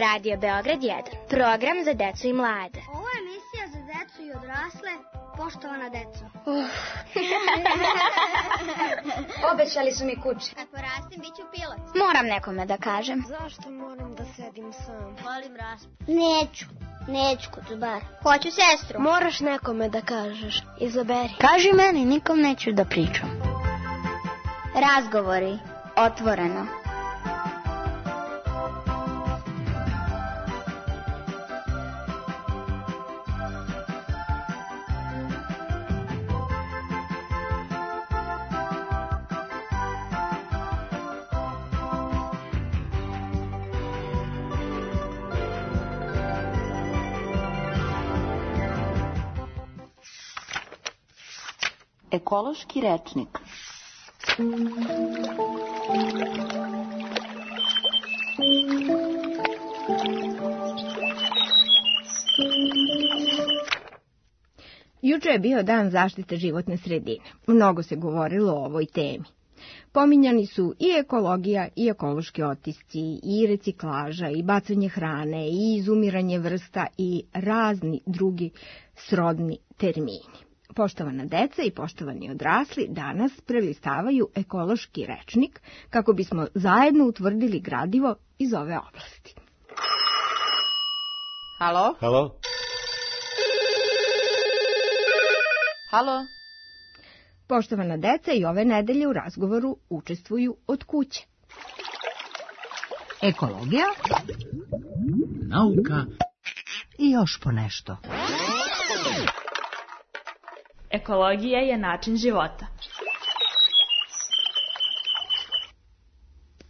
Radio Beograd 1, program za decu i mlade. Ovo je emisija za decu i odrasle, poštovana deco. Obećali su mi kuće. Kad porastim, bit ću pilot. Moram nekome da kažem. Zašto moram da sedim sam? Volim raspad. Neću kod bar. Hoću sestru. Moraš nekome da kažeš. Izaberi. Kaži meni, nikom neću da pričam. Razgovori, otvoreno. Ekološki rečnik. Juče je bio dan zaštite životne sredine. Mnogo se govorilo o ovoj temi. Pominjani su i ekologija i ekološki otisci, i reciklaža, i bacanje hrane, i izumiranje vrsta i razni drugi srodni termini. Poštovana deca i poštovani odrasli danas prelistavaju ekološki rečnik kako bismo zajedno utvrdili gradivo iz ove oblasti. Halo? Halo? Halo? Poštovana deca i ove nedelje u razgovoru učestvuju od kuće. Ekologija, nauka i još ponešto. Ekologija je način života.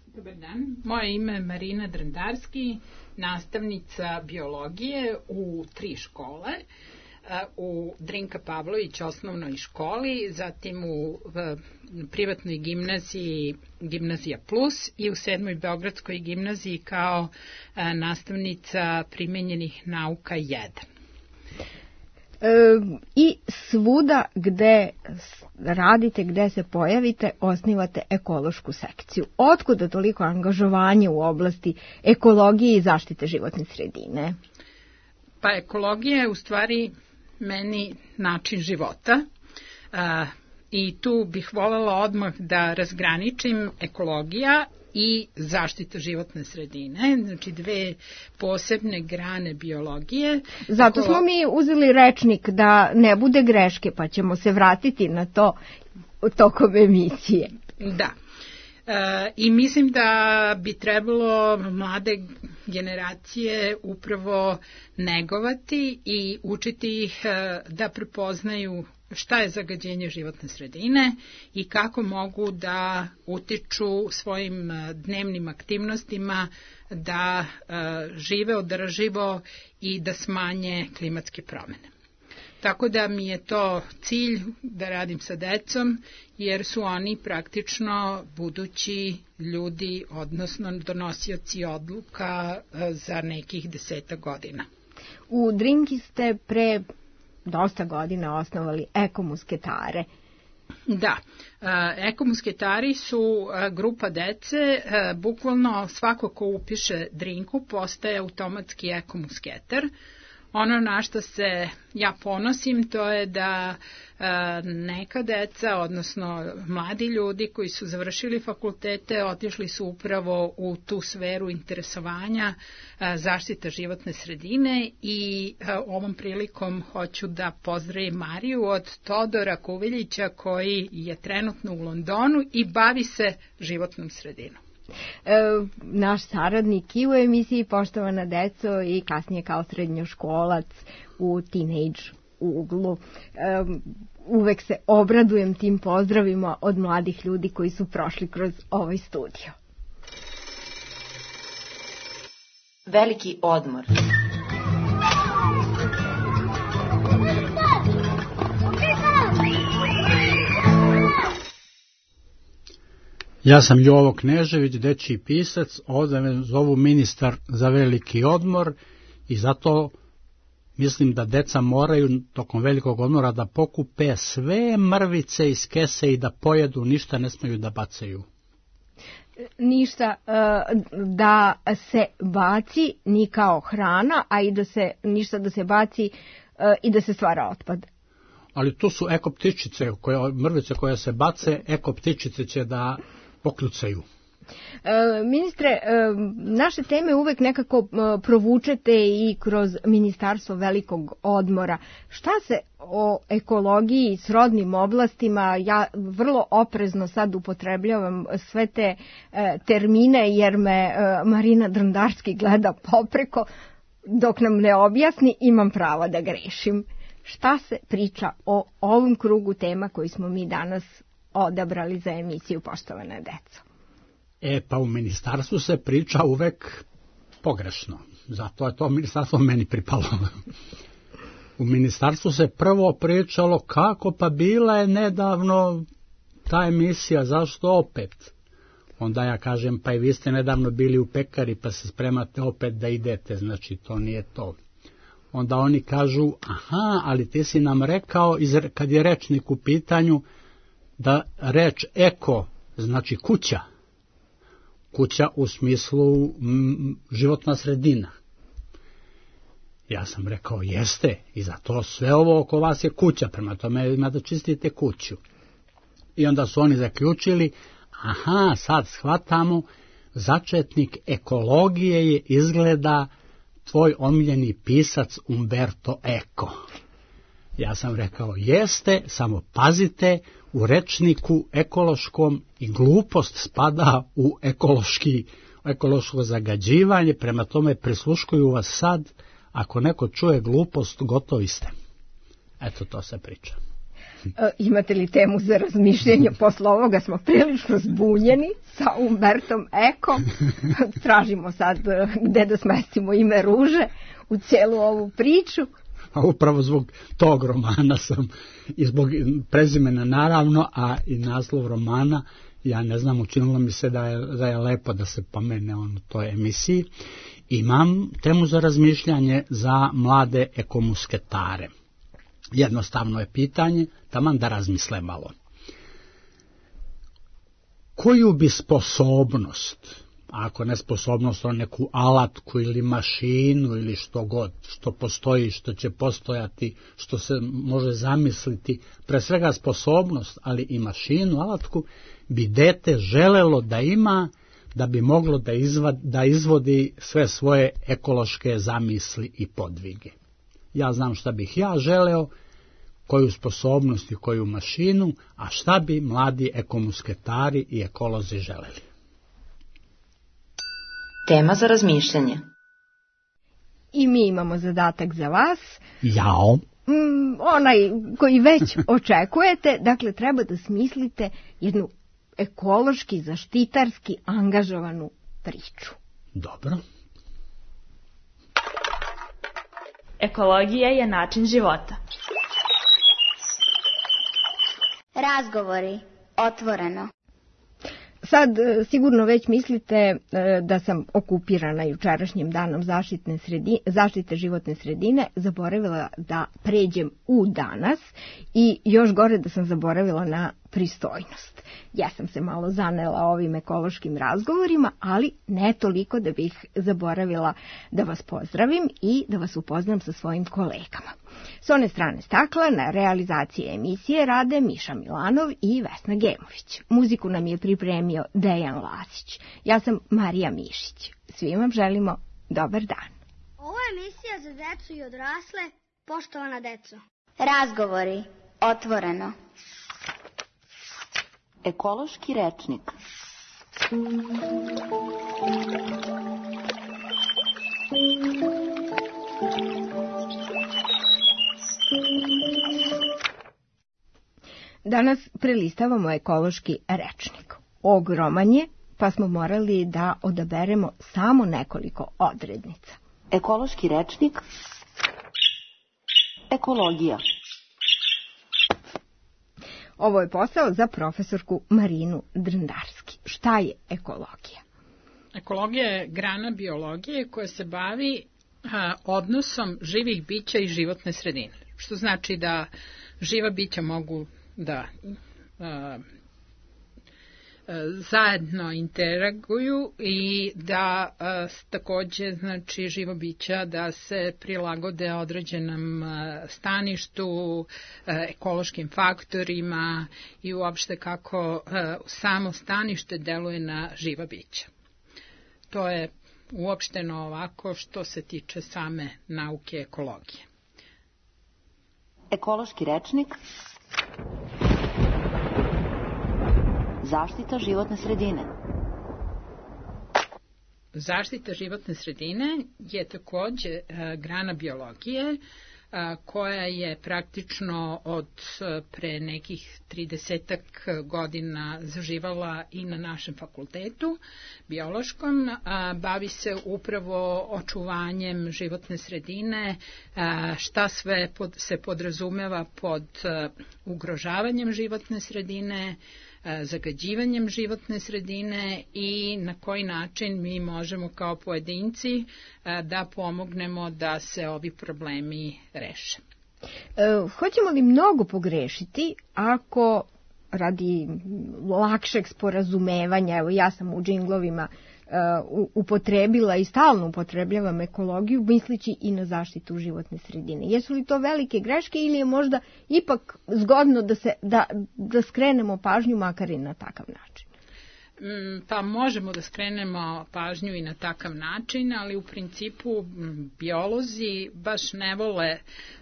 Dobar dan, moje ime je Marina Drandarski, nastavnica biologije u 3 škole, u Drinka Pavlović osnovnoj školi, zatim u privatnoj gimnaziji Gimnazija Plus i u 7. Beogradskoj gimnaziji kao nastavnica primenjenih nauka 1. I svuda gde radite, gde se pojavite, osnivate ekološku sekciju. Otkuda toliko angažovanje u oblasti ekologije i zaštite životne sredine? Pa ekologija je u stvari meni način života i tu bih voljela odmah da razgraničim ekologija i zaštita životne sredine, znači 2 posebne grane biologije. Zato smo mi uzeli rečnik da ne bude greške, pa ćemo se vratiti na to tokom emisije. Da. I mislim da bi trebalo mlade generacije upravo negovati i učiti ih da prepoznaju šta je zagađenje životne sredine i kako mogu da utiču svojim dnevnim aktivnostima da žive održivo i da smanje klimatske promene. Tako da mi je to cilj da radim sa decom, jer su oni praktično budući ljudi, odnosno donosioci odluka za nekih 10 godina. U Drinki ste pre dosta godina osnovali ekomusketare. Da, ekomusketari su grupa dece, bukvalno svako ko upiše Drinku postaje automatski ekomusketar. Ono na što se ja ponosim to je da neka deca, odnosno mladi ljudi koji su završili fakultete, otišli su upravo u tu sferu interesovanja zaštita životne sredine i ovom prilikom hoću da pozdravim Mariju od Todora Kuviljića koji je trenutno u Londonu i bavi se životnom sredinom. Naš saradnik i u emisiji Poštovana deco i kasnije kao srednjoškolac u Teenage uglu. Uvek se obradujem tim pozdravima od mladih ljudi koji su prošli kroz ovaj studio. Veliki odmor. Ja sam Jovo Knežević, dečiji pisac, ovdje me zovu ministar za veliki odmor i zato mislim da deca moraju tokom velikog odmora da pokupe sve mrvice iz kese i da pojedu, ništa ne smeju da bacaju. ništa da se baci ni kao hrana, a i ništa da se baci i da se stvara otpad. Ali to su ekoptičice, mrvice koje se bace, ekoptičice će da pokljucaju. Ministre, naše teme uvek nekako provučete i kroz Ministarstvo velikog odmora. Šta se o ekologiji, srodnim oblastima, ja vrlo oprezno sad upotrebljavam sve te termine jer me Marina Drndarski gleda popreko, dok nam ne objasni imam pravo da grešim. Šta se priča o ovom krugu tema koji smo mi danas odabrali za emisiju Poštovana deco? Pa u ministarstvu se priča uvek pogrešno. Zato je to ministarstvo meni pripalo. U ministarstvu se prvo pričalo kako pa bila je nedavno ta emisija, zašto opet? Onda ja kažem pa i vi ste nedavno bili u pekari pa se spremate opet da idete, znači to nije to. Onda oni kažu aha, ali ti si nam rekao kad je rečnik u pitanju da reč eko znači kuća. Kuća u smislu životna sredina. Ja sam rekao jeste i zato sve ovo oko vas je kuća, prema tome ima da čistite kuću. I onda su oni zaključili, aha, sad shvatamo, začetnik ekologije je izgleda tvoj omiljeni pisac Umberto Eco. Ja sam rekao jeste, samo pazite, u rečniku ekološkom i glupost spada u ekološko zagađivanje, prema tome prisluškuju vas sad, ako neko čuje glupost, gotovi ste. Eto, to se priča. Imate li temu za razmišljanje? Posle ovoga smo prilično zbunjeni sa Umbertom Eco. Tražimo sad gde da smestimo ime Ruže u cijelu ovu priču. A upravo zbog tog romana sam, i zbog prezimena naravno, a i naslov romana, ja ne znam, učinilo mi se da je lepo da se pomene on u toj emisiji. Imam temu za razmišljanje za mlade ekomusketare. Jednostavno je pitanje, taman da razmisle malo. Koju bi sposobnost, ako ne sposobnost, on neku alatku ili mašinu ili što god, što postoji, što će postojati, što se može zamisliti, pre svega sposobnost, ali i mašinu, alatku, bi dete želelo da ima, da bi moglo da izvodi sve svoje ekološke zamisli i podvige. Ja znam šta bih ja želeo, koju sposobnost i koju mašinu, a šta bi mladi ekomusketari i ekolozi želeli. Tema za razmišljanje. I mi imamo zadatak za vas. Jao. Onaj koji već očekujete, dakle treba da smislite jednu ekološki, zaštitarski angažovanu priču. Dobro. Ekologija je način života. Razgovori. Otvoreno. Sad sigurno već mislite da sam okupirana jučerašnjim danom zaštite životne sredine, zaboravila da pređem u danas i još gore da sam zaboravila na pristojnost. Ja sam se malo zanela ovim ekološkim razgovorima, ali ne toliko da bih zaboravila da vas pozdravim i da vas upoznam sa svojim kolegama. S one strane stakla na realizaciji emisije rade Miša Milanov i Vesna Gemović. Muziku nam je pripremio Dejan Lasić. Ja sam Marija Mišić. Svima vam želimo dobar dan. Ovo je emisija za decu i odrasle. Poštovana deco. Razgovori. Otvoreno. Ekološki rečnik. Danas prelistavamo ekološki rečnik. Ogroman je, pa smo morali da odaberemo samo nekoliko odrednica. Ekološki rečnik. Ekologija. Ovo je posao za profesorku Marinu Drndarski. Šta je ekologija? Ekologija je grana biologije koja se bavi odnosom živih bića i životne sredine. Što znači da živa bića mogu da zajedno interaguju i da takođe znači živo bića da se prilagode određenom staništu, ekološkim faktorima i uopšte kako samo stanište deluje na živa bića. To je uopšteno ovako što se tiče same nauke ekologije. Ekološki rečnik. Zaštita životne sredine. Zaštita životne sredine je takođe grana biologije koja je praktično od pre nekih 30 godina zaživala i na našem fakultetu biološkom. Bavi se upravo očuvanjem životne sredine, šta sve se podrazumeva pod ugrožavanjem životne sredine, zagađivanjem životne sredine i na koji način mi možemo kao pojedinci da pomognemo da se ovi problemi reše. Hoćemo li mnogo pogrešiti ako radi lakšeg sporazumevanja, evo ja sam u džinglovima upotrebila i stalno upotrebljavam ekologiju, misleći i na zaštitu životne sredine. Jesu li to velike greške ili je možda ipak zgodno da skrenemo pažnju makar i na takav način? Pa možemo da skrenemo pažnju i na takav način, ali u principu biolozi baš ne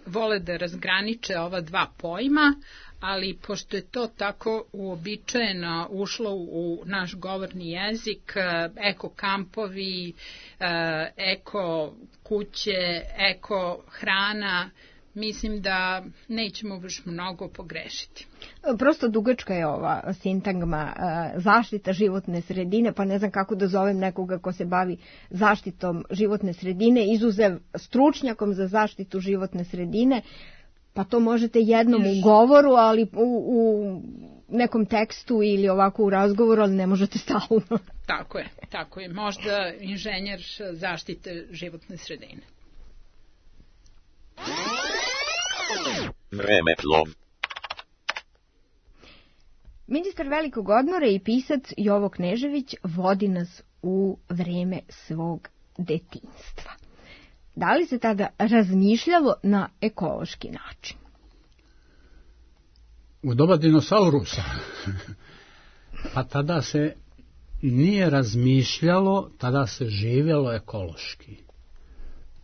vole da razgraniče ova dva pojma, ali pošto je to tako uobičajeno ušlo u naš govorni jezik, eko kampovi, eko kuće, eko hrana, mislim da nećemo baš mnogo pogrešiti. Prosto dugačka je ova sintagma zaštita životne sredine, pa ne znam kako da zovem nekoga ko se bavi zaštitom životne sredine, izuzev stručnjakom za zaštitu životne sredine, pa to možete jednom u govoru, ali u nekom tekstu ili ovako u razgovoru, ali ne možete stalno. Tako je. Možda inženjer zaštite životne sredine. Vremeplov. Ministar velikog odmora i pisac Jovo Knežević vodi nas u vreme svog detinjstva. Da li se tada razmišljalo na ekološki način? U doba dinosaurusa. Pa tada se nije razmišljalo, tada se živjelo ekološki.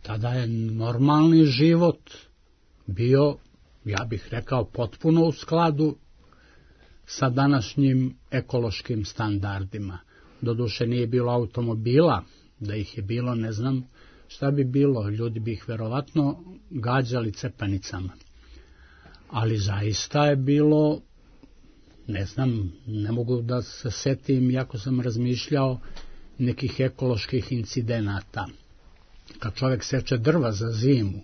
Tada je normalni život bio, ja bih rekao, potpuno u skladu sa današnjim ekološkim standardima. Doduše nije bilo automobila, da ih je bilo, ne znam šta bi bilo, ljudi bi ih verovatno gađali cepanicama. Ali zaista je bilo, ne znam, ne mogu da se setim, jako sam razmišljao, nekih ekoloških incidenata. Kad čovjek seče drva za zimu,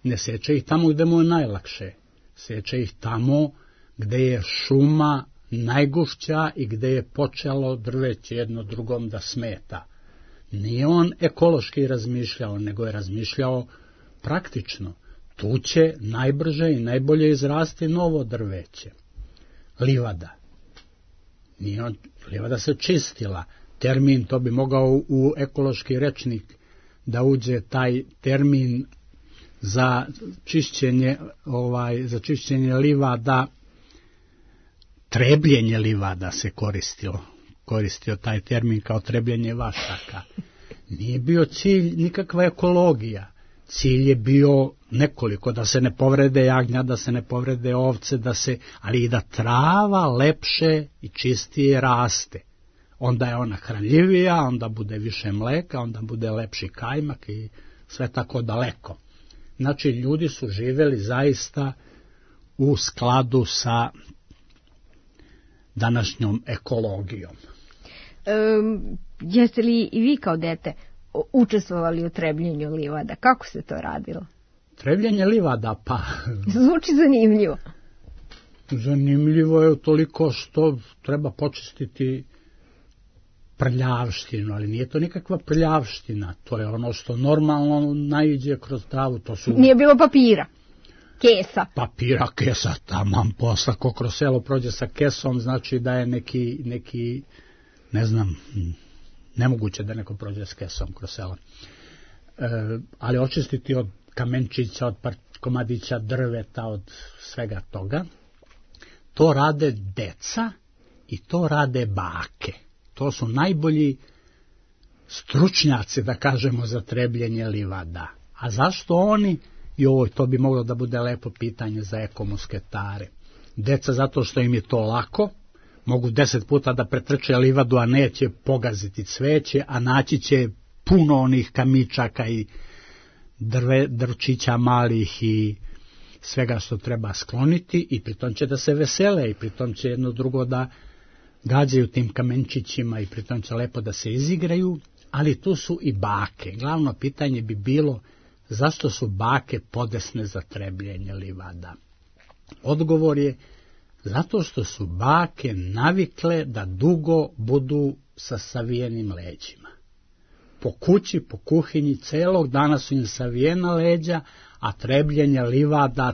ne seče ih tamo gde mu je najlakše, seče ih tamo gde je šuma najgušća i gde je počelo drveće jedno drugom da smeta. Nije on ekološki razmišljao, nego je razmišljao praktično. Tu će najbrže i najbolje izrasti novo drveće. Livada. Livada se čistila. Termin, to bi mogao u ekološki rečnik da uđe taj termin za čišćenje livada, trebljenje livada se koristio taj termin kao trebljenje vašaka. Nije bio cilj nikakva ekologija. Cilj je bio nekoliko, da se ne povrede jagnja, da se ne povrede ovce, ali i da trava lepše i čistije raste. Onda je ona hranljivija, onda bude više mleka, onda bude lepši kajmak i sve tako daleko. Znači, ljudi su živeli zaista u skladu sa današnjom ekologijom. Jeste li i vi kao dete učestvovali u trebljenju livada? Kako se to radilo? Trebljenje livada, pa... Zvuči zanimljivo. Zanimljivo je toliko što treba počistiti prljavštinu, ali nije to nikakva prljavština, to je ono što normalno naiđe kroz travu. Nije bilo papira? kesa. Papira, kesa, taman posla, ko kroz selo prođe sa kesom, znači da je neki ne znam, nemoguće da neko prođe s kesom kroz selo. Ali očistiti od kamenčića, od komadića drveta, od svega toga, to rade deca i to rade bake. To su najbolji stručnjaci, da kažemo, za trebljenje livada. A zašto oni? Joj, to bi moglo da bude lepo pitanje za ekomusketare. Deca zato što im je to lako, mogu 10 puta da pretrče livadu, a neće pogaziti cveće, a naći će puno onih kamičaka i drčića malih i svega što treba skloniti, i pritom će da se vesele, i pritom će jedno drugo da gađaju tim kamenčićima, i pritom će lepo da se izigraju. Ali tu su i bake. Glavno pitanje bi bilo zašto su bake podesne za trebljenje livada. Odgovor je zato što su bake navikle da dugo budu sa savijenim leđima. Po kući, po kuhinji, celog dana su im savijena leđa, a trebljenje livada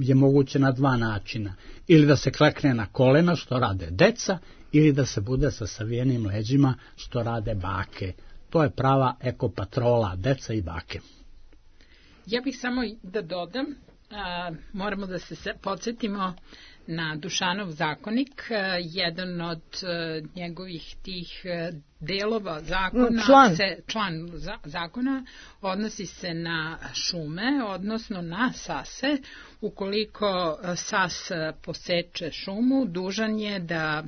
je moguće na 2 načina. Ili da se klekne na kolena, što rade deca, ili da se bude sa savijenim leđima, što rade bake. To je prava ekopatrola, deca i bake. Ja bih samo da dodam, moramo da se podsjetimo na Dušanov zakonik, jedan od njegovih tih delova zakona, član zakona odnosi se na šume, odnosno na sase. Ukoliko sas poseče šumu, dužan je da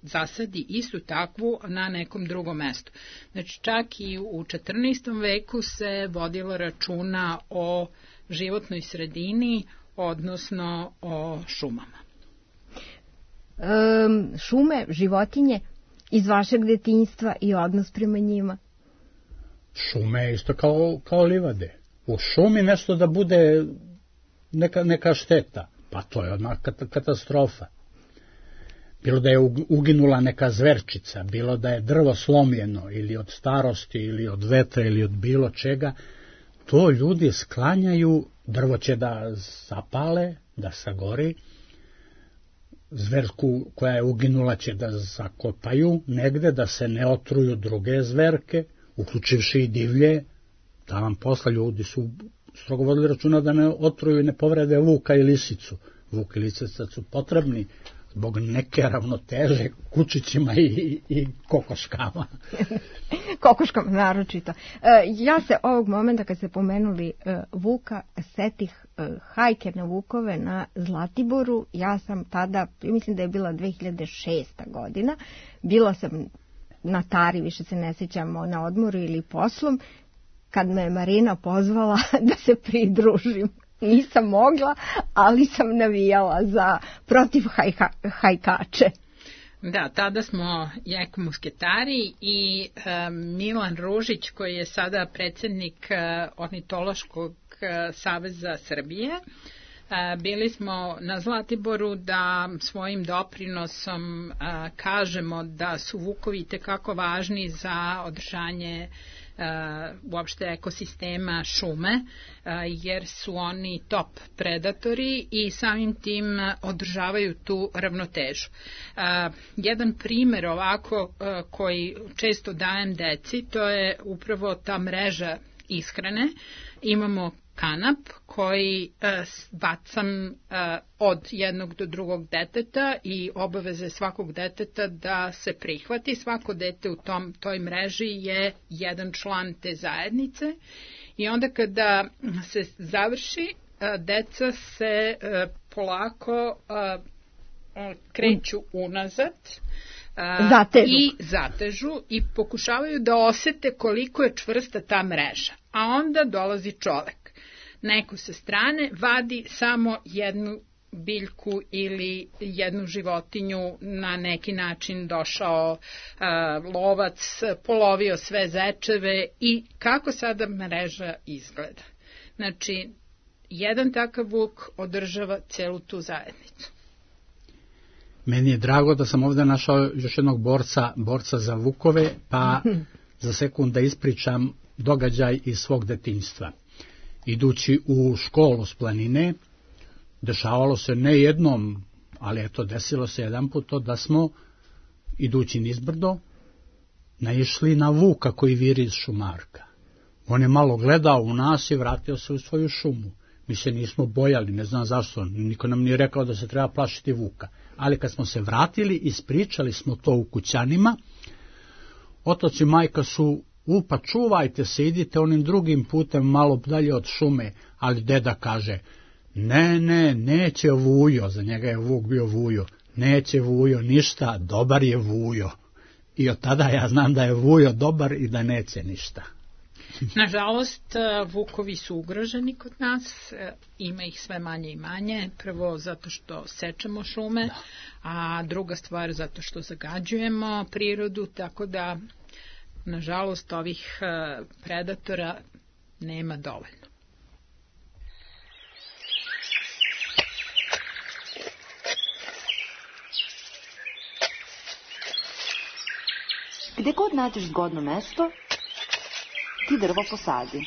zasadi istu takvu na nekom drugom mestu. Znači, čak i u 14. veku se vodilo računa o životnoj sredini, odnosno o šumama. Šume, životinje iz vašeg detinjstva i odnos prema njima? Šume je isto kao livade. U šumi nešto da bude neka šteta, pa to je odmah katastrofa. Bilo da je uginula neka zverčica, bilo da je drvo slomljeno ili od starosti ili od vetra ili od bilo čega, to ljudi sklanjaju, drvo će da zapale, da sagori, zverku koja je uginula će da zakopaju negde, da se ne otruju druge zverke, uključivši i divlje, da vam posla ljudi su strogo vodili računa da ne otruju i ne povrede vuka i lisicu. Vuk i lisica su potrebni zbog neke ravnoteže kučićima i kokoškama. Kokoškama naročito. Ja se ovog momenta kad ste pomenuli vuka setih hajke na vukove na Zlatiboru. Ja sam tada, mislim da je bila 2006. godina, bila sam na Tari, više se ne sjećam, na odmoru ili poslom, kad me Marina pozvala da se pridružim. Nisam mogla, ali sam navijala protiv hajkače. Da, tada smo ekomusketari i Milan Ružić, koji je sada predsjednik Ornitološkog saveza Srbije, bili smo na Zlatiboru da svojim doprinosom kažemo da su vukovi tekako važni za održanje uopšte ekosistema šume, jer su oni top predatori i samim tim održavaju tu ravnotežu. Jedan primer ovako koji često dajem deci, to je upravo ta mreža ishrane. Imamo kanap koji bacam od jednog do drugog deteta i obaveze svakog deteta da se prihvati. Svako dete u toj mreži je jedan član te zajednice i onda kada se završi, deca se polako kreću unazad i zatežu i pokušavaju da osete koliko je čvrsta ta mreža. A onda dolazi čovek. Neko sa strane vadi samo jednu biljku ili jednu životinju, na neki način došao lovac, polovio sve zečeve i kako sada mreža izgleda. Znači, jedan takav vuk održava celu tu zajednicu. Meni je drago da sam ovdje našao još jednog borca za vukove, pa za sekund da ispričam događaj iz svog detinjstva. idući u školu s planine, dešavalo se ne jednom, ali eto, desilo se jedan put to da smo, idući nizbrdo, naišli na vuka koji viri iz šumarka. On je malo gledao u nas i vratio se u svoju šumu. Mi se nismo bojali, ne znam zašto, niko nam nije rekao da se treba plašiti vuka. Ali kad smo se vratili, ispričali smo to u kućanima, otac i majka su, pa čuvajte se, idite onim drugim putem malo dalje od šume, ali deda kaže, neće Vujo, za njega je Vuk bio Vujo, neće Vujo ništa, dobar je Vujo. I od tada ja znam da je Vujo dobar i da neće ništa. Nažalost, vukovi su ugroženi kod nas, ima ih sve manje i manje, prvo zato što sečemo šume, a druga stvar zato što zagađujemo prirodu, tako da, nažalost, ovih predatora nema dovoljno. Gde god nađeš zgodno mesto, ti drvo posadi.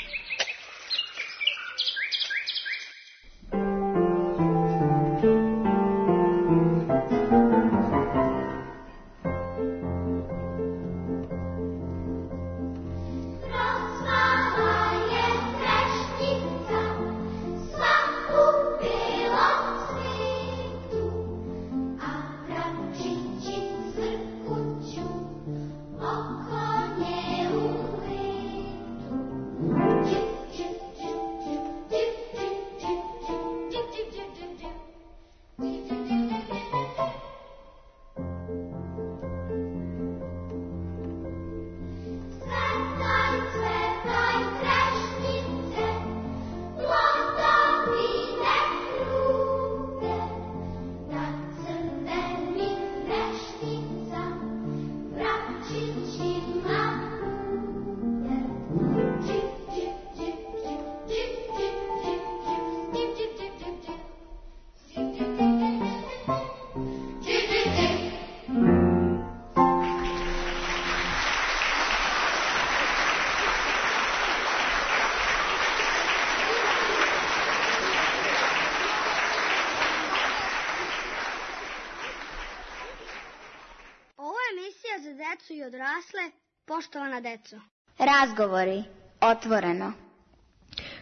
Za decu i odrasle, poštovana deco. Razgovori, otvoreno.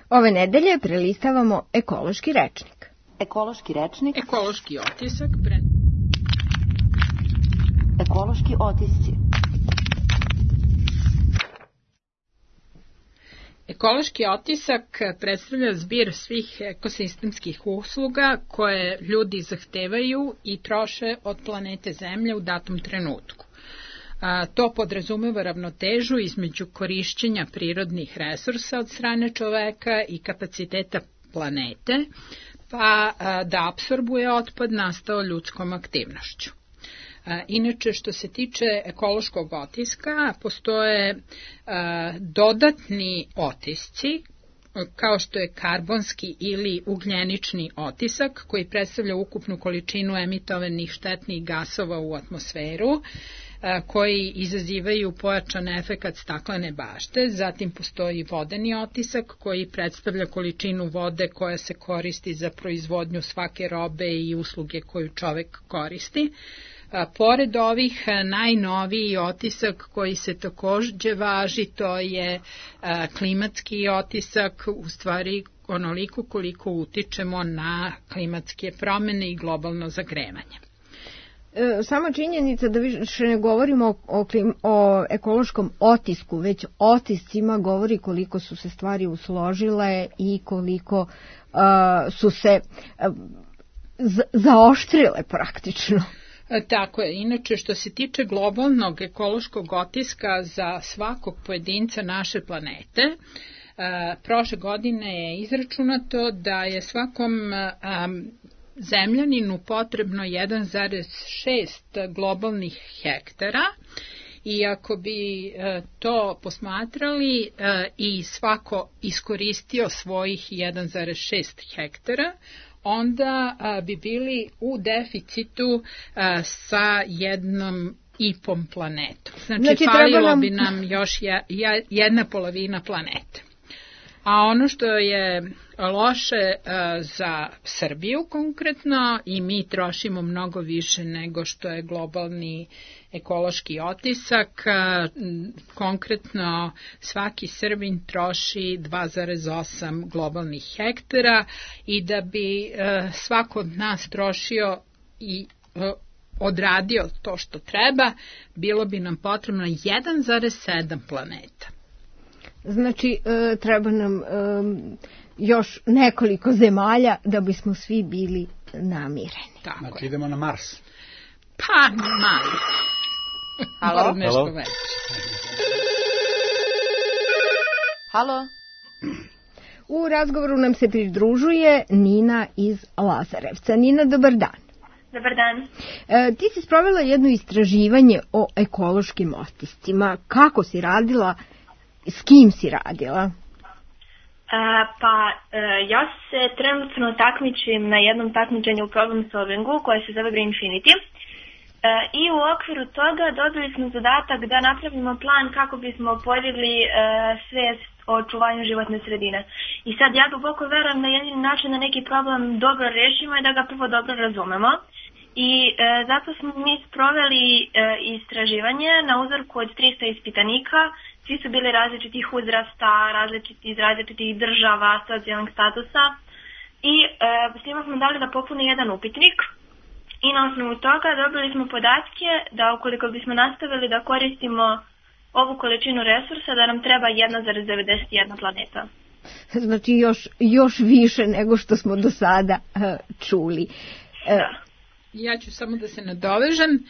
Ove nedelje prelistavamo ekološki rečnik. Ekološki rečnik. Ekološki otisak. Ekološki otisci. Ekološki otisak predstavlja zbir svih ekosistemskih usluga koje ljudi zahtevaju i troše od planete Zemlje u datom trenutku. To podrazumeva ravnotežu između korišćenja prirodnih resursa od strane čoveka i kapaciteta planete, pa da apsorbuje otpad nastao ljudskom aktivnošću. Inače, što se tiče ekološkog otiska, postoje dodatni otisci, kao što je karbonski ili ugljenični otisak, koji predstavlja ukupnu količinu emitovanih štetnih gasova u atmosferu, koji izazivaju pojačan efekat staklene bašte. Zatim postoji vodeni otisak koji predstavlja količinu vode koja se koristi za proizvodnju svake robe i usluge koju čovek koristi. Pored ovih, najnoviji otisak koji se takođe važi, to je klimatski otisak, u stvari onoliko koliko utičemo na klimatske promene i globalno zagrevanje. Sama činjenica da više ne govorimo o ekološkom otisku, već otiscima govori koliko su se stvari usložile i koliko su se zaoštrile praktično. Tako je. Inače, što se tiče globalnog ekološkog otiska za svakog pojedinca naše planete, prošle godine je izračunato da je svakom zemljaninu potrebno 1,6 globalnih hektara i ako bi to posmatrali i svako iskoristio svojih 1,6 hektara, onda bi bili u deficitu sa 1,5 planetom. Znači falilo bi nam još 1/2 planete. A ono što je loše za Srbiju konkretno, i mi trošimo mnogo više nego što je globalni ekološki otisak, konkretno svaki Srbin troši 2,8 globalnih hektara i da bi svako od nas trošio i odradio to što treba, bilo bi nam potrebno 1,7 planeta. Znači, treba nam još nekoliko zemalja da bismo svi bili namireni. Tako znači, je. idemo na Mars. Pa, mali. Halo? Nešto veće. Halo? U razgovoru nam se pridružuje Nina iz Lazarevca. Nina, dobar dan. Dobar dan. Ti si sprovela jedno istraživanje o ekološkim otiscima. Kako si radila? S kim si radila? Ja se trenutno takmičim na jednom takmičenju u problem solvingu koje se zove Greenfinity. I u okviru toga dobili smo zadatak da napravimo plan kako bismo podigli svijest o očuvanju životne sredine. I sad ja duboko verujem da jedini način da neki problem dobro rešimo je da ga prvo dobro razumemo. I zato smo mi sproveli istraživanje na uzorku od 300 ispitanika. Svi su bili različitih uzrasta, iz različitih država, socijalnih statusa. I svima smo dali da popune jedan upitnik. I na osnovu toga dobili smo podatke da ukoliko bismo nastavili da koristimo ovu količinu resursa, da nam treba 1,91 planeta. Znači još više nego što smo do sada čuli. Da. Ja ću samo da se nadovežem.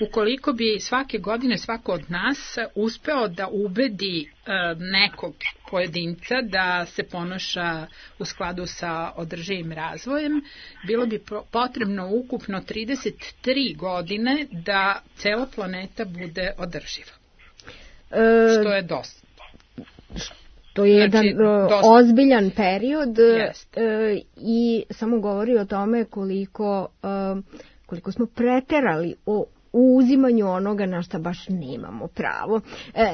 Ukoliko bi svake godine svako od nas uspeo da ubedi nekog pojedinca da se ponaša u skladu sa održivim razvojem, bilo bi potrebno ukupno 33 godine da cela planeta bude održiva. Što je dosta. To je jedan ozbiljan period i samo govori o tome koliko smo preterali o uzimanju onoga na šta baš nemamo pravo.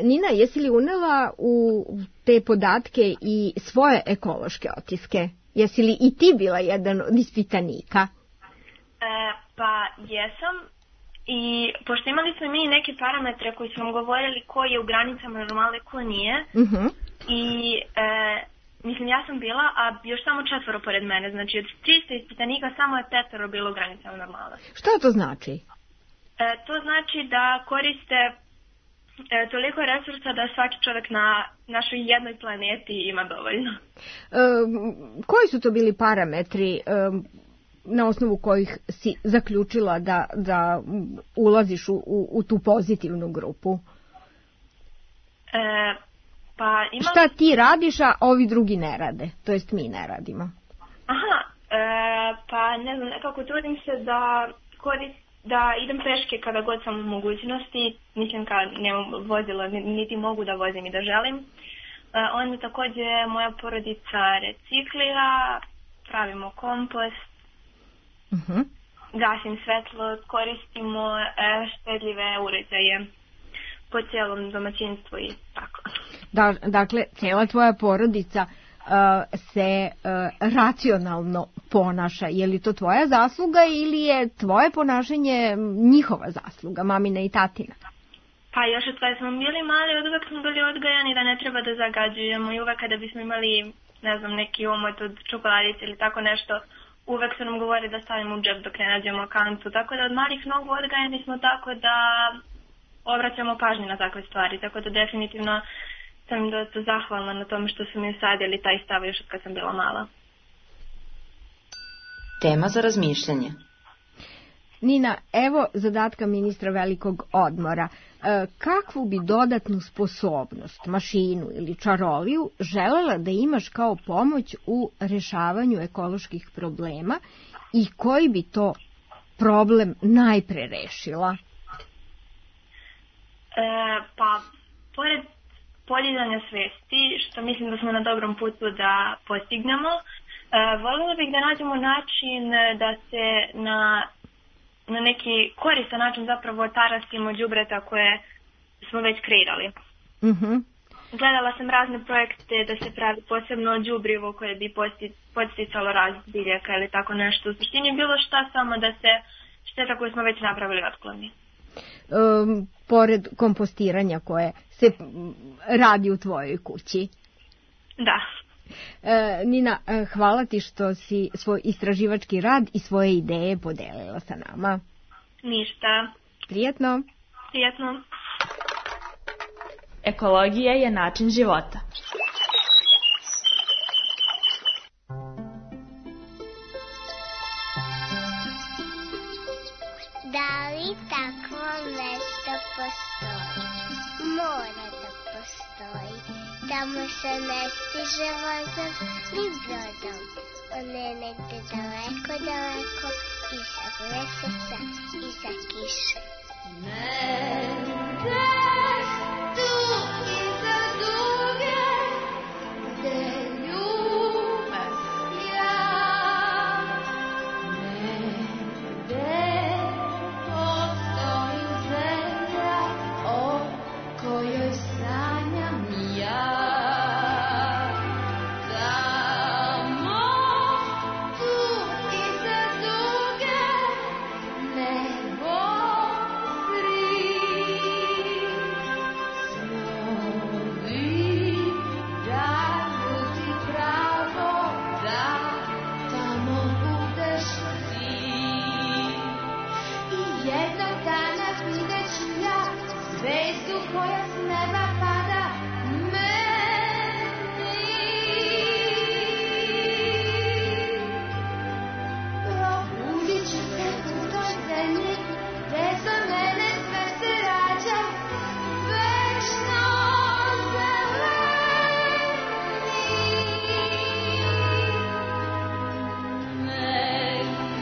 Nina, jesi li unela u te podatke i svoje ekološke otiske? Jesi li i ti bila jedan od ispitanika? Pa jesam. I pošto imali smo mi neke parametre koji su nam govorili ko je u granicama normale, ko nije. I mislim, ja sam bila, a još samo 4 pored mene. Znači, od 300 ispitanika samo je 5 bilo u granicama normale. Šta to znači? To znači da koriste toliko resursa da svaki čovjek na našoj jednoj planeti ima dovoljno. Koji su to bili parametri na osnovu kojih si zaključila da ulaziš u tu pozitivnu grupu? Šta ti radiš, a ovi drugi ne rade? To jest mi ne radimo. Pa ne znam, nekako trudim se da idem peške kada god sam u mogućnosti, mislim kad nemam vozila, niti mogu da vozim i da želim. Onda također moja porodica reciklira, pravimo kompost, gasim svetlo, koristimo štedljive uređaje po cijelom domaćinstvu i tako. Dakle, cijela tvoja porodica se racionalno ponaša. Je li to tvoja zasluga ili je tvoje ponašanje njihova zasluga, mamina i tatina? Pa još od kada smo bili mali, od uvek smo bili odgajani da ne treba da zagađujemo i uvek kada bismo imali, ne znam, neki omot od čokoladice ili tako nešto, uvek su nam govorili da stavimo u džep dok ne nađemo kantu. Tako da od malih nogu odgajani smo tako da obraćamo pažnju na takve stvari. Tako da definitivno sam dosta zahvalna na tome što su mi usadili taj stav još od kad sam bila mala. Tema za razmišljanje. Nina, evo zadatka ministra velikog odmora. Kakvu bi dodatnu sposobnost, mašinu ili čaroliju želela da imaš kao pomoć u rešavanju ekoloških problema i koji bi to problem najpre rešila? Pa, pored podizanja svesti, što mislim da smo na dobrom putu da postignemo, voljela bih da nađemo način da se na neki koristan način zapravo tarasimo đubreta koje smo već kreirali. Gledala sam razne projekte da se pravi posebno đubrivo koje bi podsticalo rast biljaka ili tako nešto. U suštini bilo šta, samo da se šteta koju smo već napravili otkloni. Pored kompostiranja koje se radi u tvojoj kući. Da. Nina, hvala ti što si svoj istraživački rad i svoje ideje podelila sa nama. Ništa. Prijetno. Prijetno. Ekologija je način života. Da li takvo mesto postoji? Mora da postoji. Tamo se ne stiže vozom ni brodom. On je negde daleko, daleko, iza meseca, iza kiše. Negde tu iza duge, gde ljubav sja. Negde postoji zemlja o kojoj sanjam ja. Tamo, tu iza duge, nebo zri. Snovi daju ti pravo da tamo budeš ti. I jednog dana vidjet ću ja zvezdu koja s neba pada meni. Probudit ću se u toj zemlji gde za mene sve se rađa večno zeleni. Negde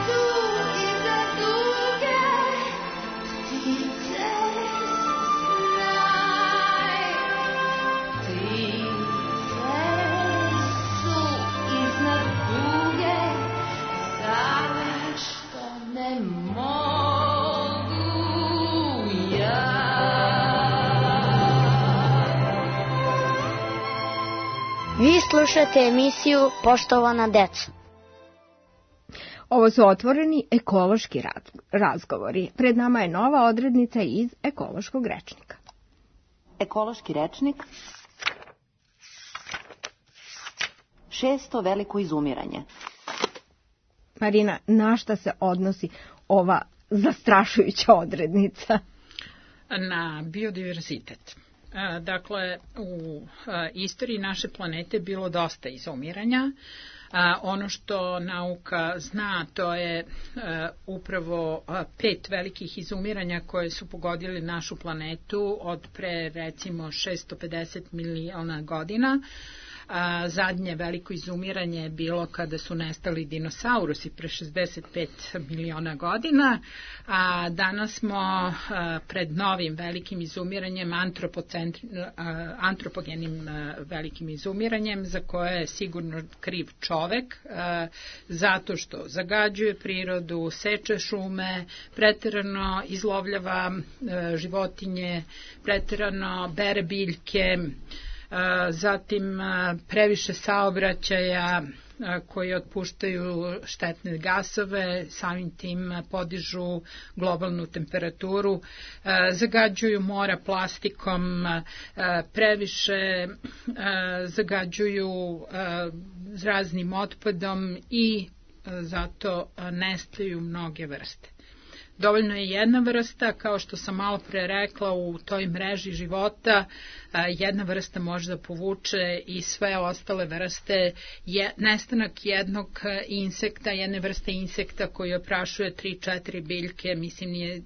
tu iza duge ptice snaj. Ptice su iznad kuge, zašto ne mogu ja? Vi slušate emisiju Poštovana deco. Ovo su otvoreni ekološki razgovori. Pred nama je nova odrednica iz ekološkog rečnika. Ekološki rečnik. 6. veliko izumiranje. Marina, na šta se odnosi ova zastrašujuća odrednica? Na biodiverzitet. Dakle, u istoriji naše planete bilo dosta izumiranja. Ono što nauka zna, to je upravo 5 velikih izumiranja koje su pogodili našu planetu od pre recimo 650 miliona godina. Zadnje veliko izumiranje je bilo kada su nestali dinosaurusi pre 65 miliona godina, a danas smo pred novim velikim izumiranjem, antropogenim velikim izumiranjem, za koje je sigurno kriv čovek, zato što zagađuje prirodu, seče šume, preterano izlovljava životinje, preterano bere biljke, zatim previše saobraćaja koji otpuštaju štetne gasove, samim tim podižu globalnu temperaturu, zagađuju mora plastikom, previše zagađuju raznim otpadom i zato nestaju mnoge vrste. Dovoljno je jedna vrsta, kao što sam malo pre rekla, u toj mreži života jedna vrsta može da povuče i sve ostale vrste. Nestanak jednog insekta, jedne vrste insekta koji oprašuje 3-4 biljke, mislim nije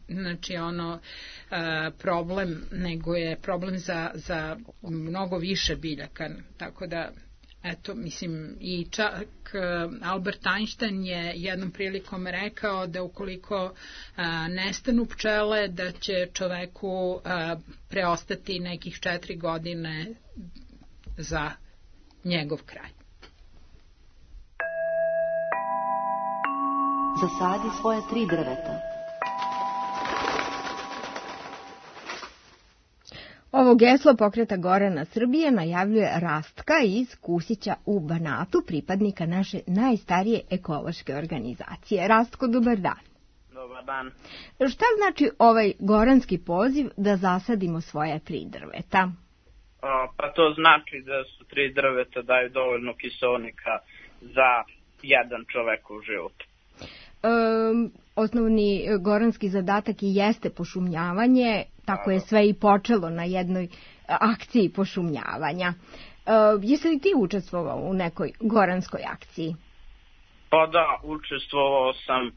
problem, nego je problem za mnogo više biljaka, tako da eto, mislim, i čak Albert Einstein je jednom prilikom rekao da ukoliko nestanu pčele, da će čoveku preostati nekih 4 godine za njegov kraj. Zasadi svoje 3 drveta. Ovo geslo Pokreta Gorana Srbije najavljuje Rastka iz Kusića u Banatu, pripadnika naše najstarije ekološke organizacije. Rastko, dobar dan. Dobar dan. Šta znači ovaj goranski poziv da zasadimo svoja 3 drveta? Pa to znači da su 3 drveta daju dovoljno kiseonika za jedan čovekov život. Osnovni goranski zadatak i jeste pošumljavanje, tako je sve i počelo na jednoj akciji pošumljavanja. Jesi li ti učestvovao u nekoj goranskoj akciji? Pa da, učestvovao sam,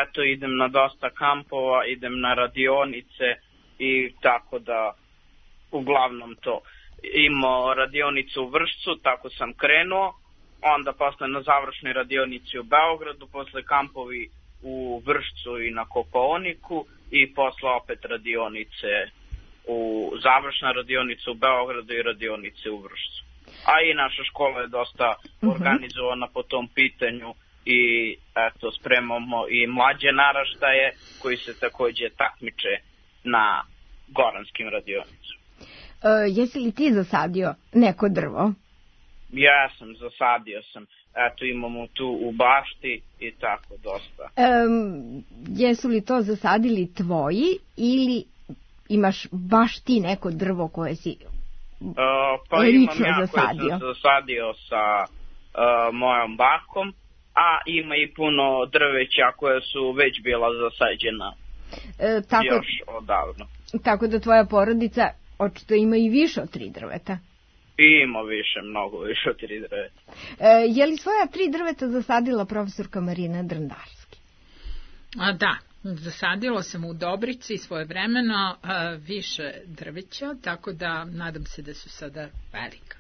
eto idem na dosta kampova, idem na radionice i tako da uglavnom to. Imao radionicu u Vršcu, tako sam krenuo, onda posle na završnoj radionici u Beogradu, posle kampovi u Vršcu i na Kopaoniku i posle opet radionice završna radionica u Beogradu i radionice u Vršcu. A i naša škola je dosta organizovana po tom pitanju i eto spremamo i mlađe naraštaje koji se takođe takmiče na goranskim radionicama. Jesi li ti zasadio neko drvo? Ja sam, zasadio sam. Eto, imamo tu u bašti i tako dosta. Jesu li to zasadili tvoji ili imaš baš ti neko drvo koje si pa lično imam ja zasadio? Koji sam zasadio sa mojom bakom, a ima i puno drveća koje su već bila zasađena još odavno. Tako da tvoja porodica očito ima i više od 3 drveta. Ima više, mnogo više od 3 drveta. Je li svoja 3 drveta zasadila profesorka Marina Drndarski? Da, zasadilo sam u Dobrici svojevremeno više drveća, tako da nadam se da su sada velika.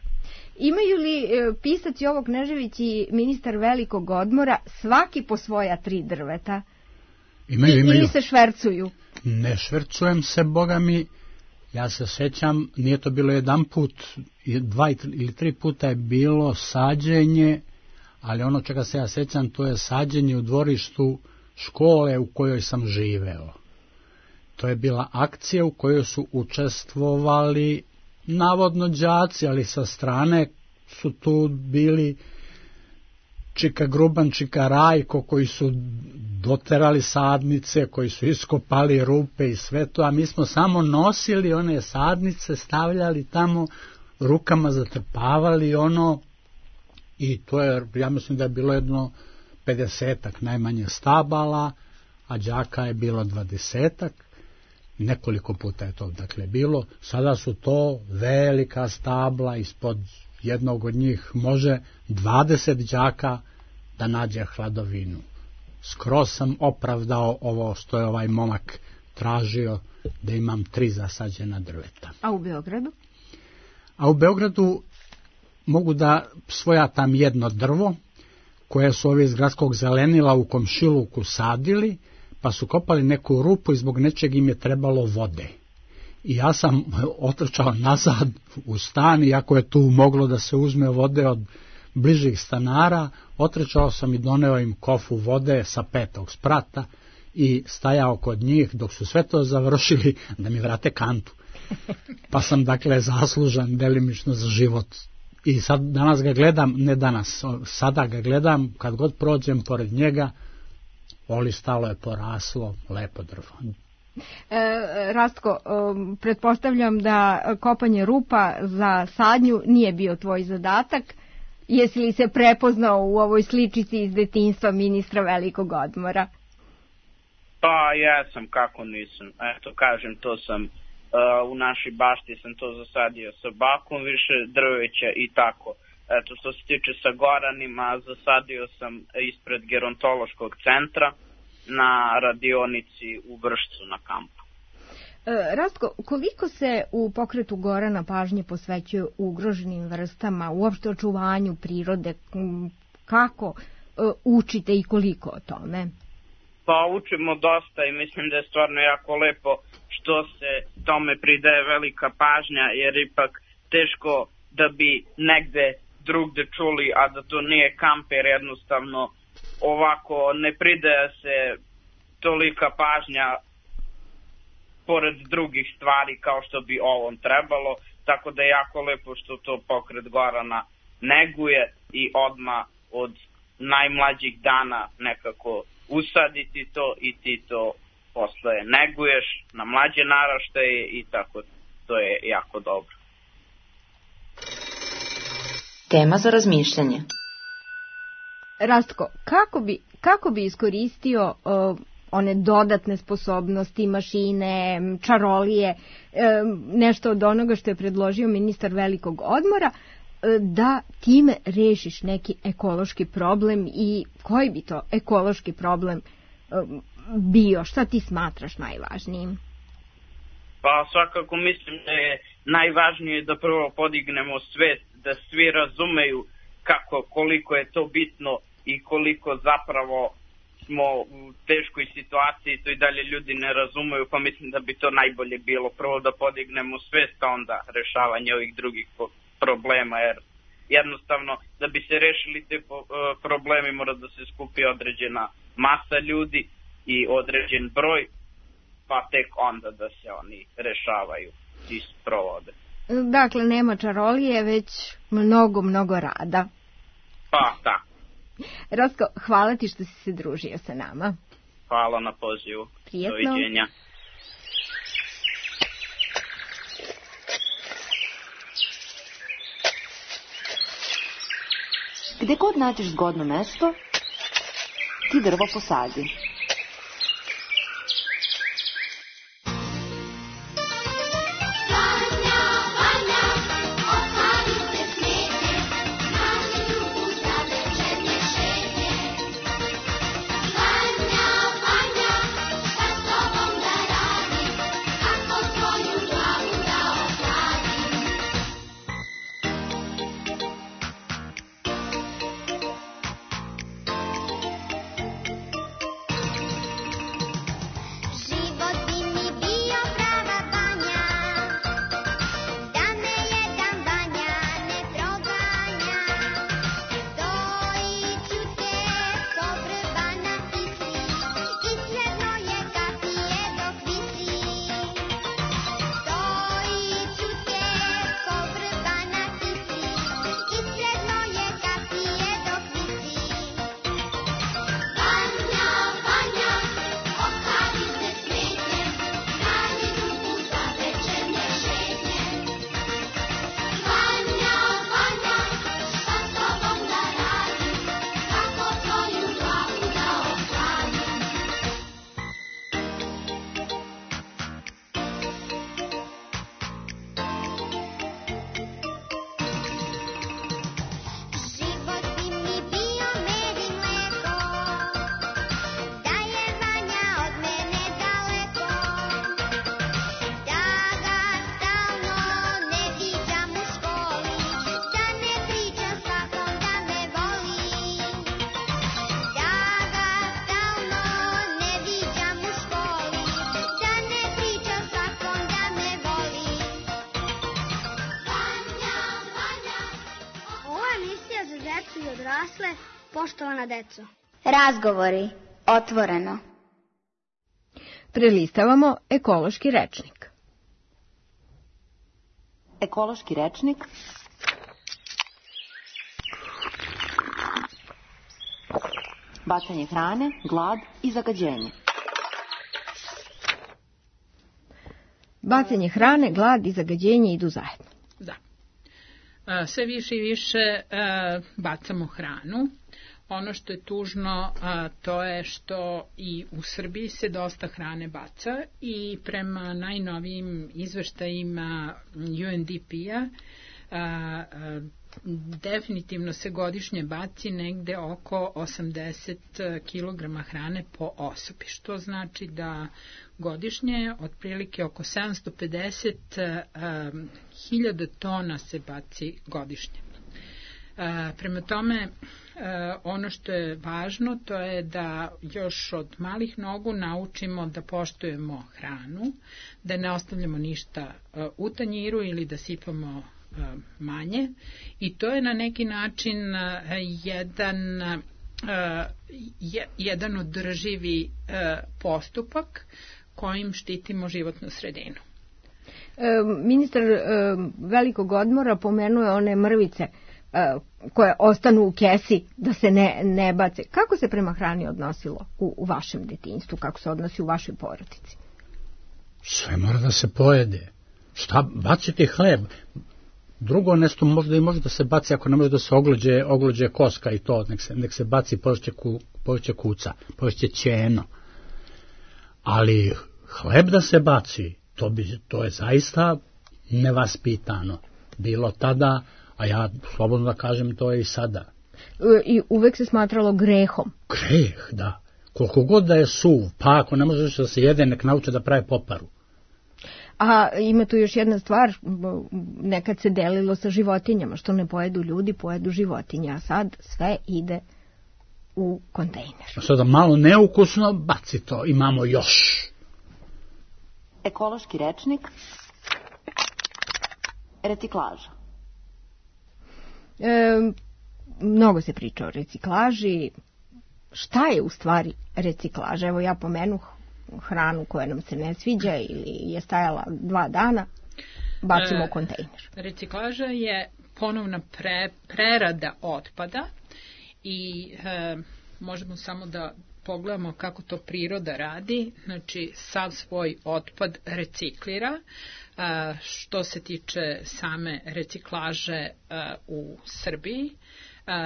Imaju li pisac Jovo Knežević i ministar Velikog odmora svaki po svoja 3 drveta? Imaju. Ili se švercuju? Ne švercujem se, Boga mi. Ja se sećam, nije to bilo jedan put, 2 ili 3 puta je bilo sađenje, ali ono čega se ja sećam, to je sađenje u dvorištu škole u kojoj sam živeo. To je bila akcija u kojoj su učestvovali navodno đaci, ali sa strane su tu bili Čika Gruban, Čika Rajko, koji su doterali sadnice, koji su iskopali rupe i sve to, a mi smo samo nosili one sadnice, stavljali tamo, rukama zatrpavali ono, i to je, ja mislim da je bilo jedno 50-ak najmanje stabala, a đaka je bilo 20-ak, nekoliko puta je to dakle bilo. Sada su to velika stabla, ispod jednog od njih može 20 đaka da nađe hladovinu. Skroz sam opravdao ovo što je ovaj momak tražio, da imam 3 zasađena drveta. A u Beogradu? A u Beogradu mogu da svojatam jedno drvo, koje su ovi iz gradskog zelenila u komšiluku sadili, pa su kopali neku rupu i zbog nečeg im je trebalo vode. I ja sam otrčao nazad u stan, iako je tu moglo da se uzme vode od bližih stanara, otrčao sam i doneo im kofu vode sa 5. sprata i stajao kod njih dok su sve to završili da mi vrate kantu. Pa sam dakle zaslužan delimično za život. I sad danas ga gledam, ne danas, sada ga gledam, kad god prođem pored njega, olistalo je, poraslo, lepo drvo. Rastko, pretpostavljam da kopanje rupa za sadnju nije bio tvoj zadatak. Jesi li se prepoznao u ovoj sličici iz detinjstva ministra Velikog odmora? Pa jesam, kako nisam. Eto, kažem, to sam u našoj bašti sam to zasadio sa bakom, više drveća i tako. Eto, što se tiče sa Goranima, zasadio sam ispred gerontološkog centra na radionici u Vršcu na kampu. Rastko, koliko se u pokretu Gorana pažnje posvećuje ugroženim vrstama, uopšte očuvanju prirode, kako učite i koliko o tome? Pa učimo dosta i mislim da je stvarno jako lepo što se tome pridaje velika pažnja, jer ipak teško da bi negde drugde čuli, a da to nije kamper, jednostavno ovako ne pridaje se tolika pažnja pored drugih stvari kao što bi ovom trebalo, tako da je jako lepo što to pokret Gorana neguje i odmah od najmlađih dana nekako usaditi to i ti to posle neguješ na mlađe naraštaje i tako to je jako dobro. Tema za razmišljanje. Rastko, kako bi iskoristio one dodatne sposobnosti, mašine, čarolije, nešto od onoga što je predložio ministar velikog odmora, da time rešiš neki ekološki problem i koji bi to ekološki problem bio? Šta ti smatraš najvažnijim? Pa svakako mislim da je najvažnije da prvo podignemo svest, da svi razumeju koliko je to bitno i koliko zapravo smo u teškoj situaciji, to i dalje ljudi ne razumeju, pa mislim da bi to najbolje bilo prvo da podignemo svest, a onda rešavanje ovih drugih problema, jer jednostavno da bi se rešili te problemi mora da se skupi određena masa ljudi i određen broj, pa tek onda da se oni rešavaju i sprovode. Dakle, nema čarolije, već mnogo rada. Pa, da. Rastko, hvala ti što si se družio sa nama. Hvala na pozivu. Prijetno. Doviđenja. Gde god nađeš zgodno mesto, ti drvo posadi. Poštovana deco. Razgovori. Otvoreno. Prelistavamo ekološki rečnik. Ekološki rečnik. Bacanje hrane, glad i zagađenje. Bacanje hrane, glad i zagađenje idu zajedno. Da. Sve više i više bacamo hranu. Ono što je tužno, to je što i u Srbiji se dosta hrane baca i prema najnovijim izveštajima UNDP-a definitivno se godišnje baci negde oko 80 kg hrane po osobi, što znači da godišnje otprilike oko 750.000 tona se baci godišnje. Prema tome, ono što je važno to je da još od malih nogu naučimo da poštujemo hranu, da ne ostavljamo ništa u tanjiru ili da sipamo manje, i to je na neki način jedan održivi postupak kojim štitimo životnu sredinu. Ministar velikog odmora pomenuo je one mrvice koje ostanu u kesi da se ne bace. Kako se prema hrani odnosilo u vašem detinjstvu? Kako se odnosi u vašoj porodici? Sve mora da se pojede. Šta, baciti hleb? Drugo nešto možda i može da se baci ako ne može da se oglođe koska i to, nek se baci, poješće kuca, poješće ćeno. Ali hleb da se baci, to je zaista nevaspitano. Bilo tada, a ja slobodno da kažem, to je i sada. I uvek se smatralo grehom. Greh, da. Koliko god da je suv, pa ako ne možeš da se jede, nek nauče da prave poparu. A ima tu još jedna stvar, nekad se delilo sa životinjama, što ne pojedu ljudi, pojedu životinje, a sad sve ide u kontejner. Sada malo neukusno, baci to, imamo još. Ekološki rečnik, reciklaža. Mnogo se priča o reciklaži. Šta je u stvari reciklaža? Evo ja pomenuh hranu koja nam se ne sviđa ili je stajala 2 dana, bacimo u kontejner. Reciklaža je ponovna prerada otpada i možemo samo da pogledamo kako to priroda radi. Znači, sav svoj otpad reciklira. Što se tiče same reciklaže u Srbiji,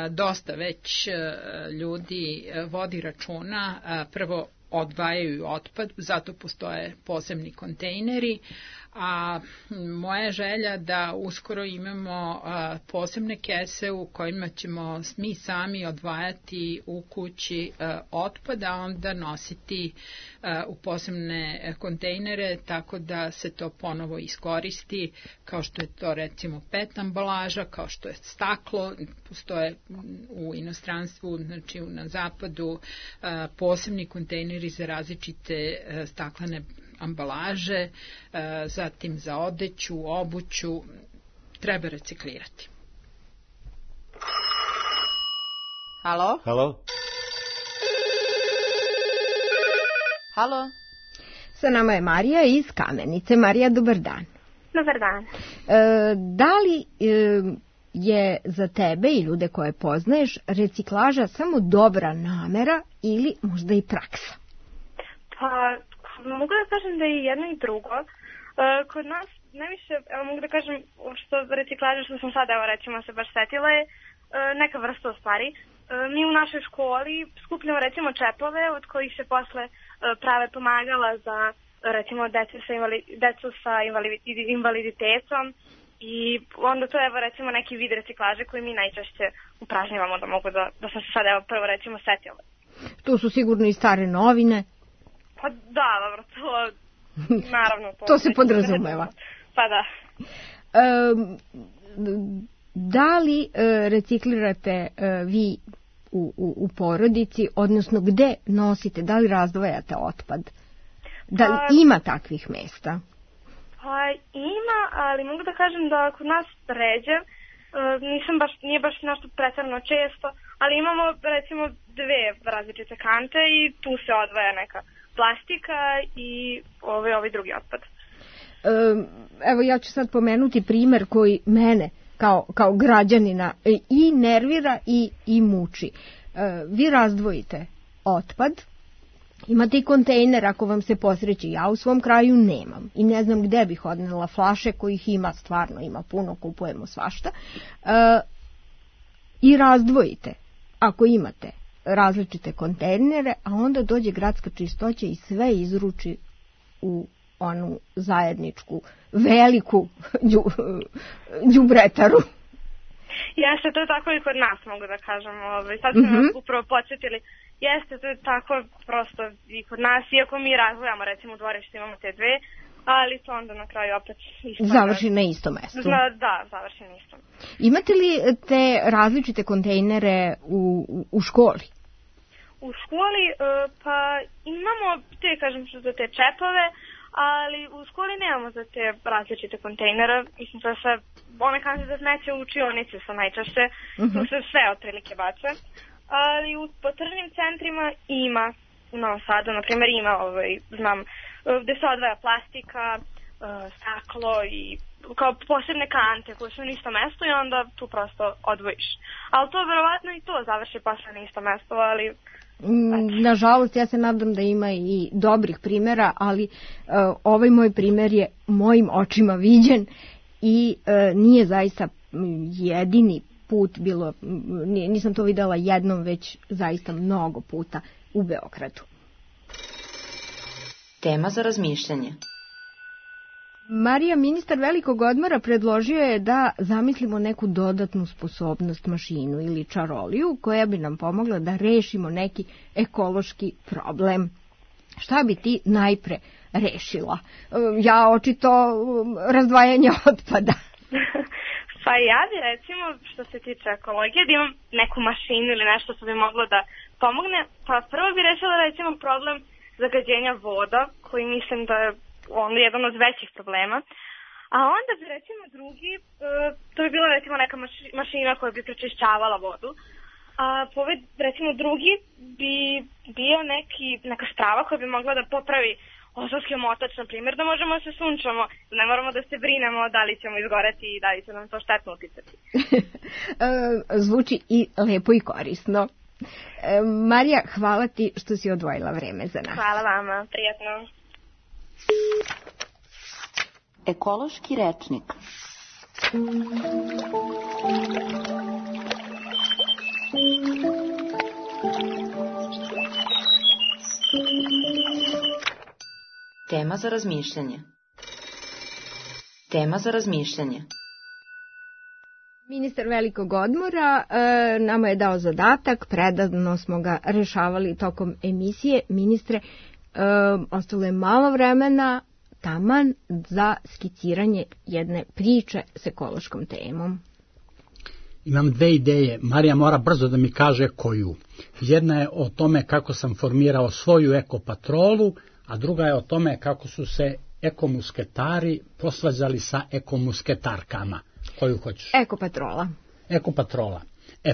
dosta već ljudi vodi računa, prvo odvajaju otpad, zato postoje posebni kontejneri, a moja je želja da uskoro imamo posebne kese u kojima ćemo mi sami odvajati u kući otpad, a onda nositi u posebne kontejnere, tako da se to ponovo iskoristi, kao što je to recimo PET ambalaža, kao što je staklo. Postoje u inostranstvu, znači na zapadu, posebni kontejneri za različite staklene ambalaže, zatim za odeću, obuću, treba reciklirati. Halo? Halo? Halo? Sa nama je Marija iz Kamenice. Marija, dobar dan. Dobar dan. Da li je za tebe i ljude koje poznaješ reciklaža samo dobra namera ili možda i praksa? Pa, mogu da kažem da je jedno i drugo. Kod nas najviše, evo mogu da kažem, što reciklaža što sam sada, evo recimo se baš setila je neka vrsta u stvari. Mi u našoj školi skupljamo recimo čepove od kojih se posle prave pomagala za recimo decu sa invaliditetom i onda to je evo recimo neki vid reciklaže koji mi najčešće upražnjavamo, da mogu da sam se sad evo prvo recimo setila. Tu su sigurno i stare novine. Pa da, dobro, to naravno. To se podrazumeva. Pa da. Da li reciklirate vi u porodici, odnosno gde nosite, da li razdvajate otpad? Da li ima takvih mesta? Pa ima, ali mogu da kažem da kod nas ređe, nije baš nešto pretarano često, ali imamo recimo 2 različite kante i tu se odvaja neka plastika i ovaj drugi otpad. Evo ja ću sad pomenuti primer koji mene kao građanina i nervira i muči. Vi razdvojite otpad, imate i kontejner ako vam se posreći. Ja u svom kraju nemam i ne znam gde bih odnela flaše kojih ima, stvarno ima puno, kupujemo svašta. I razdvojite ako imate različite kontejnere, a onda dođe gradska čistoća i sve izruči u onu zajedničku veliku đubretaru. Jeste, to je tako i kod nas, mogu da kažem. Sad ste nas upravo podsjetili. Jeste, to je tako prosto i kod nas, iako mi razvojamo, recimo u dvorištu imamo te 2, ali to onda na kraju opet isto. Završi na istom mestu. Da, završi na istom. Imate li te različite kontejnere u školi? U školi, pa imamo te, kažem, za te čepove, ali u školi nemamo za te različite kontejnere. Mislim da se one kante za smeće u učionice su najčešće, tu se sve otprilike bace. Ali po tržnim centrima ima, u Novom Sadu, na primjer, ima, znam, gde se odvaja plastika, staklo i kao posebne kante koje su na isto mesto i onda tu prosto odvojiš. Ali to verovatno i to završi posle na isto mesto, ali... Nažalost, ja se nadam da ima i dobrih primjera, ali ovaj moj primjer je mojim očima viđen i nije zaista jedini put bilo, nisam to videla jednom, već zaista mnogo puta u Beogradu. Tema za razmišljanje. Marija, ministar velikog odmora, predložio je da zamislimo neku dodatnu sposobnost, mašinu ili čaroliju koja bi nam pomogla da rešimo neki ekološki problem. Šta bi ti najpre rešila? Ja očito razdvajanje otpada. Pa ja bi recimo, što se tiče ekologije, da imam neku mašinu ili nešto što bi moglo da pomogne. Pa prvo bi rešila recimo problem zagađenja voda, koji mislim da je jedan od većih problema. A onda bi recimo drugi, to bi bila recimo neka mašina koja bi prečišćavala vodu. A recimo drugi bi bio neka strava koja bi mogla da popravi ozonski omotač, na primjer, da možemo da se sunčamo, da ne moramo da se brinemo da li ćemo izgoreti i da li će nam to štetno uticati. Zvuči i lepo i korisno. Marija, hvala ti što si odvojila vreme za nas. Hvala vama, prijatno. Ekološki rečnik. Tema za razmišljanje. Tema za razmišljanje. Ministar velikog odmora nama je dao zadatak, predano smo ga rešavali tokom emisije. Ministre, ostalo je malo vremena, taman za skiciranje jedne priče s ekološkom temom. Imam dve ideje. Marija mora brzo da mi kaže koju. Jedna je o tome kako sam formirao svoju ekopatrolu, a druga je o tome kako su se ekomusketari posvađali sa ekomusketarkama. Koju hoćeš? Ekopatrola. Ekopatrola.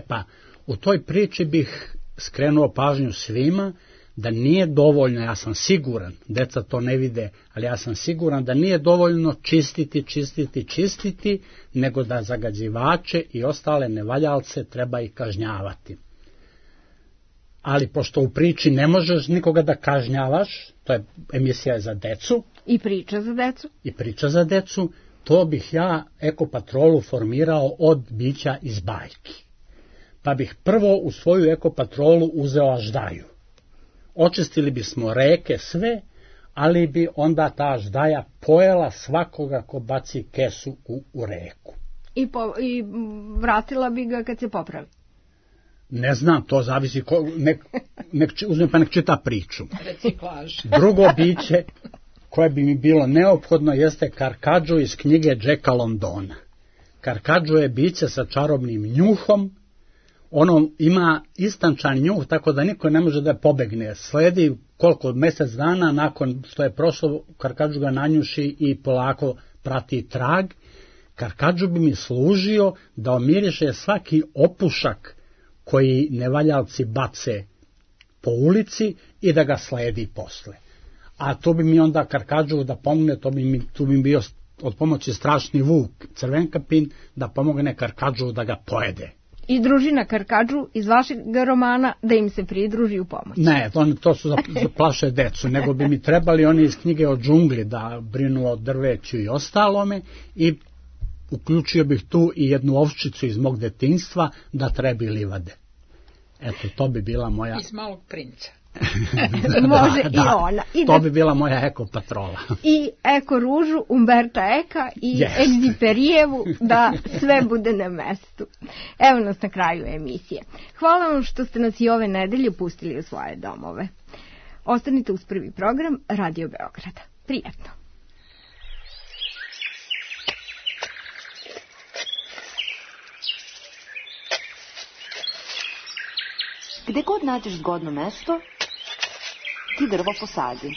Pa, u toj priči bih skrenuo pažnju svima da nije dovoljno, ja sam siguran, deca to ne vide, ali ja sam siguran da nije dovoljno čistiti, nego da zagađivače i ostale nevaljalce treba i kažnjavati. Ali pošto u priči ne možeš nikoga da kažnjavaš, to je emisija za decu. I priča za decu. To bih ja ekopatrolu formirao od bića iz bajki. Pa bih prvo u svoju ekopatrolu uzeo aždaju. Očistili bismo reke sve, ali bi onda ta aždaja pojela svakoga ko baci kesu u reku. I vratila bi ga kad se popravi. Ne znam, to zavisi, uzmem pa nek čita priču. Reciklaž. Drugo biće koje bi mi bilo neophodno jeste Karkadžo iz knjige Jacka Londona. Karkadžo je biće sa čarobnim njuhom, ono ima istančan njuh, tako da niko ne može da pobegne. Sledi koliko mjesec dana nakon što je prošlo, Karkadžo ga nanjuši i polako prati trag. Karkadžo bi mi služio da omiriše svaki opušak koji nevaljalci bace po ulici i da ga sledi posle. A to bi mi onda Karkadžu da pomogne, tu bi bio od pomoći strašni vuk, Crvenkapin, da pomogne Karkadžu da ga pojede. I družina Karkadžu iz vašeg romana da im se pridruži u pomoć. Ne, to su za plaše decu, nego bi mi trebali oni iz knjige o džungli da brinu o drveću i ostalome i uključio bih tu i jednu ovčicu iz mog detinjstva da trebi livade. Eto, to bi bila moja... Iz Malog princa. Može i ona. To bi bila moja ekopatrola. I eko ružu Umberta Eka i Egziperijevu da sve bude na mestu. Evo nas na kraju emisije. Hvala vam što ste nas i ove nedelje pustili u svoje domove. Ostanite uz prvi program Radio Beograda. Prijatno. Gde god nađeš zgodno mesto, ti drvo posadi.